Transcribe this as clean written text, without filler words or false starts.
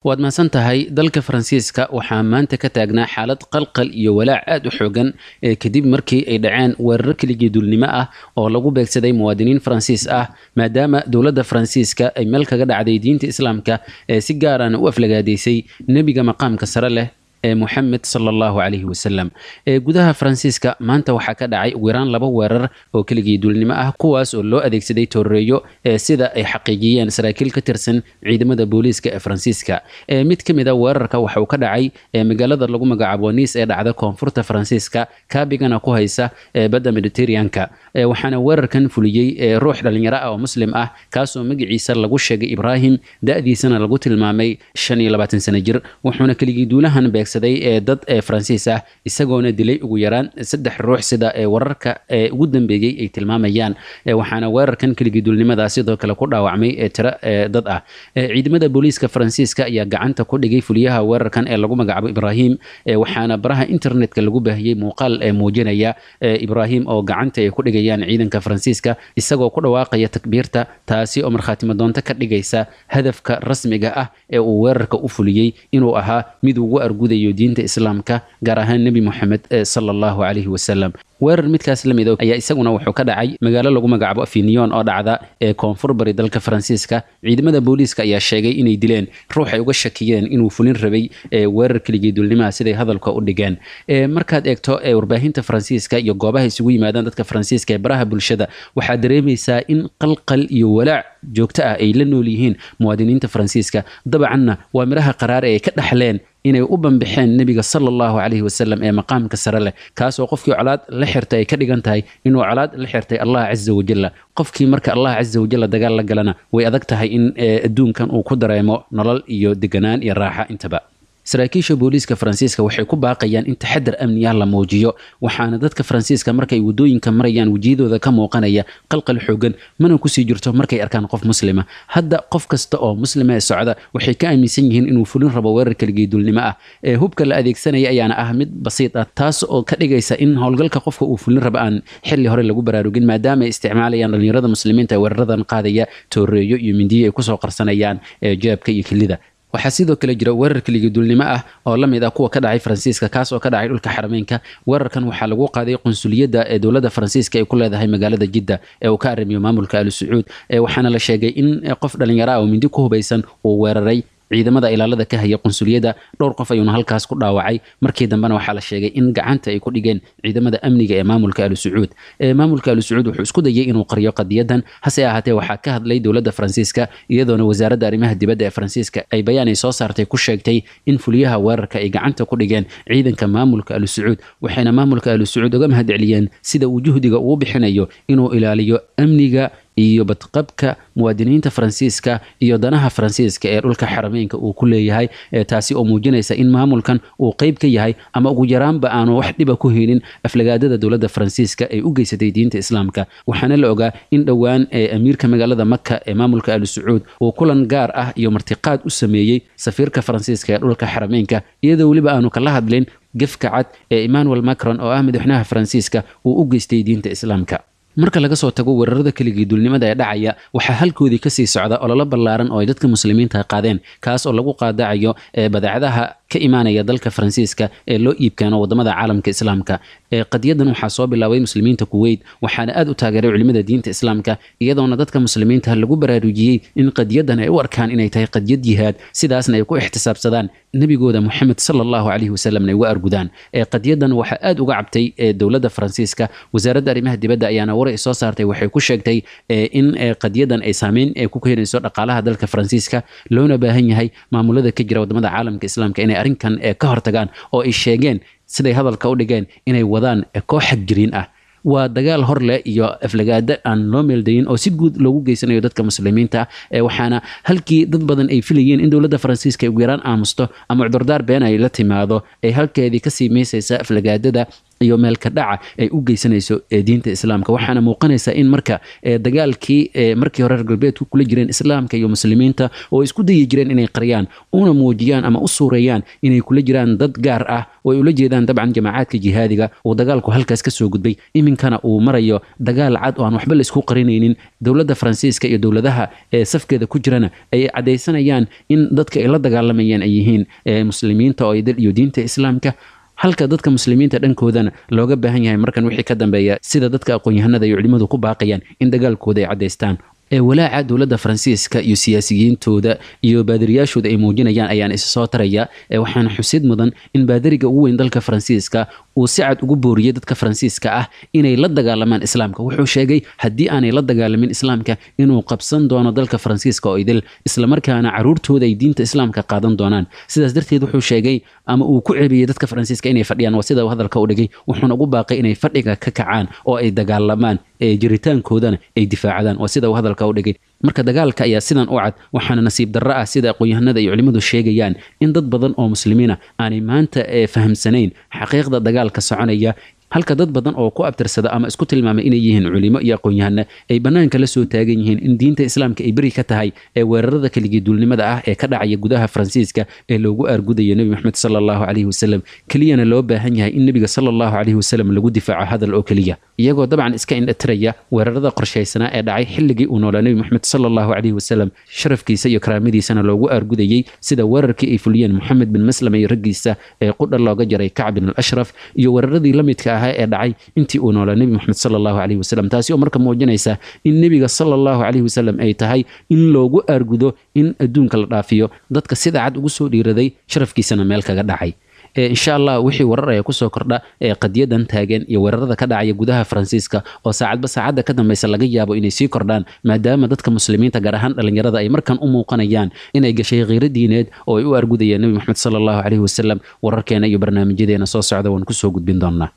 Waad mahadsan tahay. Dalka Faransiiska waxaa maanta ka taagnaa xaalad qalqal iyo walaac aad u xoogan kadib markii ay dhaceen weerar keligii duulnimo ah oo lagu beegsaday muwaadiniin Faransiis ah, maadaama dowladda Faransiiska ay meel kaga dhacday diinta Islaamka ee si gaarana u aflagaadaysay nebiga maqaamka sare leh ee Muxamed sala Allahu calayhi wasalam. Ee gudaha Faransiiska maanta waxaa ka dhacay ugu yaraan 2 weerar oo keligii duulnimo ah, kuwaas oo loo adeegsaday tooreeyo, ee sida ay xaqiijiyeen saraakiil ka tirsan ciidamada booliiska ee Faransiiska. Ee mid ka mid a weerarka waxa uu ka dhacay ee magaalada lagu magacaabo Nice ee dhacda koonfurta Faransiiska, kaabigana ku haysa ee badda Mediterraneanka. Ee waxaana weerarkan fuliyey ee ruux dhalinyaro ah oo muslim ah, kaasoo magaciisa lagu sheegay Ibraahim, da'diisana lagu tilmaamay 25 sano jir, wuxuuna keligii duulahan beegsaday ee dad ee Faransiis ah, isagoona dilay ugu yaraan 3 ruux, sida ee wararka ee ugu dambeeyey ay tilmaamayaan. Waxaana weerarkan keligii duulnimada sidoo kale ku dhaawacmay ee tiro ee dad ah. Ciidamada booliiska Faransiiska ayaa gacanta ku dhigay fuliyaha weerarkan ee lagu magacaabo Ibraahim, waxaana baraha internetka lagu baahiyey muuqaal ee muujinaya Ibraahim oo gacanta ay ku dhigayaan ciidanka Faransiiska, isagoo ku dhawaaqaya takbiirta, taasi oo markhaatimo doonto ka dhigaysa hadafka rasmiga ah ee uu weerarka u fuliyey inuu ahaa mid ugu argudayo diinta Islaamka, gaar ahaan Nebi Moxamed sala Allahu calayhi wasalam. Weerar midkaas la mid ayaa isaguna wuxuu ka dhacay magaalo lagu magacaabo Avignon oo dhacda ee koonfur bari dalka Faransiiska. Ciidamada booliiska ayaa sheegay inay dileen ruux ay uga shakiyeen inuu fulin rabay ee weerar keligii duulnimaha, siday hadalka u dhigeen. Markaad eegto ee warbaahinta Faransiiska iyo goobaha isugu yimaadaan dadka Faransiiska ee baraha bulshada, waxaad dareemaysaa in qalqal iyo walaac joogto ah ay la nool yihiin muwaadiniinta Faransiiska. Dabcanna waa miraha qaraar ee ay ka dhaxleen inay u banbixeen nebiga sala Allahu calayhi wasalam ee maqaamka sare leh, kaasoo qofkii colaad la xirtay ay ka dhigan tahay inuu colaad la xirtay Allah caza wajalla. Qofkii marka Allah caza wajalla dagaal la galana, way adag tahay in adduunkan uu ku dareemo nolol iyo deganaan iyo raaxa intaba. Saraakiisha booliiska Faransiiska waxay ku baaqayaan in taxadar amni ah la muujiyo, waxaana dadka Faransiiska markay wadooyinka marayaan wejiyadooda ka muuqanaya qalqal xoogan, mana kusii jirto markay arkaan qof muslima. Hadda qof kasta oo muslima ee socda waxay ka aaminsan yihiin inuu fulin rabo weerar keligii duulnimo ah. Ee hubka la adeegsanaya ayaana ah mid basiid ah, taas oo ka dhigaysa in howlgalka qofka uu fulin rabo aan xilli hore lagu baraarugin, maadaama ay isticmaalayaan dhalinyarada muslimiinta ee weeraradan qaadaya tooreeyo iyo mindiyo ay kusoo qarsanayaan ee jeebka iyo kilida. Waxaa sidoo kale jira weerar keligii duulnimo ah oo la mid ah kuwa ka dhacay Faransiiska, kaas oo ka dhacay dhulka Xarameynka. Weerarkan waxaa lagu qaaday qunsuliyadda ee dowladda Faransiiska ay ku leedahay magaalada Jidda ee uu ka arrimiyo maamulka Al Sacuud, waxaana la sheegay in qof dhalinyaro ah oo mindi ku hubaysan uu weeraray ciidamada ilaalada ka haya qunsuliyadda, dhowr qof ayuuna halkaas ku dhaawacay. Markii dambena waxaa la sheegay in gacanta ay ku dhigeen ciidamada amniga ee maamulka Al Sacuud. Maamulka Al Sacuud wuxuu isku dayay inuu qariyo qadiyadan, hase ahaatee waxaa ka hadlay dowladda Faransiiska, iyadoona wasaaradda arrimaha dibadda ee Faransiiska ay bayaan ay soo saartay ku sheegtay in fuliyaha weerarka ay gacanta ku dhigeen ciidanka maamulka Al Sacuud, waxayna maamulka Al Sacuud uga mahadceliyeen sida uu juhdiga ugu bixinayo inuu ilaaliyo amniga iyo badqabka muwaadiniinta Faransiiska iyo danaha Faransiiska ee dhulka Xarameynka uu ku leeyahay, taasi oo muujinaysa in maamulkan uu qayb ka yahay ama ugu yaraanba aanu wax dhiba ku haynin aflagaadada dowladda Faransiiska ay u geysatay diinta Islaamka. Waxaana la ogaa in dhowaan amiirka magaalada Maka ee maamulka Al Sacuud uu kulan gaar ah iyo martiqaad u sameeyey safiirka Faransiiska ee dhulka Xarameynka, iyadoo weliba aanu kala hadlin gefka cad ee Emmanuel Macron oo ah madaxweynaha Faransiiska uu u geystay diinta Islaamka. Marka laga soo tago weerarada keligii duulnimada ee dhacaya, waxaa halkoodii kasii socda ololo ballaaran oo ay dadka muslimiinta qaadeen, kaas oo lagu qaadacayo ee badeecadaha ka imaanaya dalka Faransiiska ee loo iibkeeno wadamada caalamka Islaamka. Qadiyadan waxaa soo bilaabay muslimiinta Kuwait, waxaana aad u taageeray culimada diinta Islaamka, iyadoona dadka muslimiinta lagu baraarujiyey in qadiyadan ay u arkaan inay tahay qadiyad jihaad, sidaasna ay ku ixtisaabsadaan nebigooda Moxamed sala Allahu calayhi wasalamna ay uga argudaan. Qadiyadan waxaa aad uga cabtay dowladda Faransiiska. Wasaaradda arrimaha dibadda ayaana war ay soo saartay waxay ku sheegtay in qadiyadan ay saameyn ku keenayso dhaqaalaha dalka Faransiiska, loona baahan yahay maamulada ka jira wadamada caalamka Islaamka inay arrinkan ka hortagaan, oo ay sheegeen siday hadalka u dhigeen inay wadaan koox xagjiriin ah. Waa dagaal hor leh iyo aflagaado aan loo meeldayin oo si guud loogu geysanayo dadka muslimiinta, waxaana halkii dad badan ay filayeen in dowladda Faransiiska ay ugu yaraan aamusto ama cudurdaar been ay la timaado, ay halkeedii kasii meysaysa aflagaadada iyo meelka dhaca ay u geysanayso diinta islaamka. Waxaana muuqanaysa in marka dagaalkii markii hore reer galbeedku kula jireen islaamka iyo muslimiinta oo isku dayi jireen inay qariyaan una muujiyaan ama u suureeyaan inay kula jiraan dad gaar ah oo ay ula jeedaan dabcan jamaacaadka jihaadiga, uu dagaalku halkaas ka soo gudbay, iminkana uu marayo dagaal cad oo aan waxba la isku qarinaynin. Dowladda Faransiiska iyo dowladaha ee safkeeda ku jirana ay caddaysanayaan in dadka ay la dagaalamayaan ay yihiin muslimiinta oo dal iyo diinta islaamka, halka dadka muslimiinta dhankoodana looga baahan yahay markan wixii ka dambeeya, sida dadka aqoon-yahanada iyo culimadu ku baaqayaan, in dagaalkooda ay caddaystaan. Walaaca dowladda Faransiiska iyo siyaasiyiintooda iyo baadiriyaashooda ay muujinayaan ayaan isa soo taraya. Waxaana xusid mudan in baadiriga ugu weyn dalka Faransiiska uu si cad ugu booriyey dadka Faransiiska ah inay la dagaalamaan islaamka. Wuxuu sheegay haddii aanay la dagaalamin islaamka inuu qabsan doono dalka Faransiiska oo idil, islamarkaana caruurtooda ay diinta islaamka qaadan doonaan. Sidaas darteed wuxuu sheegay ama uu ku ceebiyey dadka Faransiiska inay fadhiyaan, waa sida uu hadalka u dhigay, wuxuuna ugu baaqay inay fadhiga ka kacaan oo ay dagaalamaan, jiritaankoodana ay difaacadaan, waa sida uu hadalka u dhigay. Marka dagaalka ayaa sidan u cad, waxaana nasiib darro ah, sida aqoon-yahanada iyo culimmadu sheegayaan, in dad badan oo muslimiina aanay maanta fahamsanayn xaqiiqda dagaalka soconaya, halka dad badan oo ku abtirsada ama isku tilmaamay inay yihiin culimo iyo aqoon-yahano ay bannaanka la soo taagan yihiin in diinta islaamka ay beri ka tahay ee weerarada keligii duulnimada ah ee ka dhacaya gudaha Faransiiska ee loogu aargudayo Nebi Maxamed sala allahu calayhi wasalam, keliyana loo baahan yahay in nebiga sala allahu calayhi wasalam lagu difaaco hadal oo keliya, iyagoo dabcan iska indhatiraya weerarada qorshaysanaa ee dhacay xilligii uu noolaa Nebi Maxamed sala allahu calayhi wasalam, sharafkiisa iyo karaamadiisana loogu aargudayey, sida weerarkii ay fuliyeen Moxamed bin Maslama iyo raggiisa ee qudha looga jaray Kacb bin al Ashraf, iyo weeraradii la midka ahaa ee dhacay intii uu noolaa Nebi Maxamed sala allahu calayhi wasalam. Taasi oo marka muujinaysa in nebiga sala allahu calayhi wasalam ay tahay in loogu aargudo in adduunka la dhaafiyo dadka sida cad ugu soo dhiiraday sharafkiisana meel kaga dhacay. Insha Allah wixii warar ayaa kusoo kordha ee qadiyadan taagan iyo weerarada ka dhacaya gudaha Faransiiska oo saacadba saacadda ka dambeysa laga yaabo inay sii kordhaan, maadaama dadka muslimiinta gaar ahaan dhalinyarada ay markan u muuqanayaan inay gashay khiiro diineed oo ay u argudayeen Nebi Maxamed sala allahu calayhi wasalam, wararkeena iyo barnaamijyadeena soo socda waan kusoo gudbin doonaa.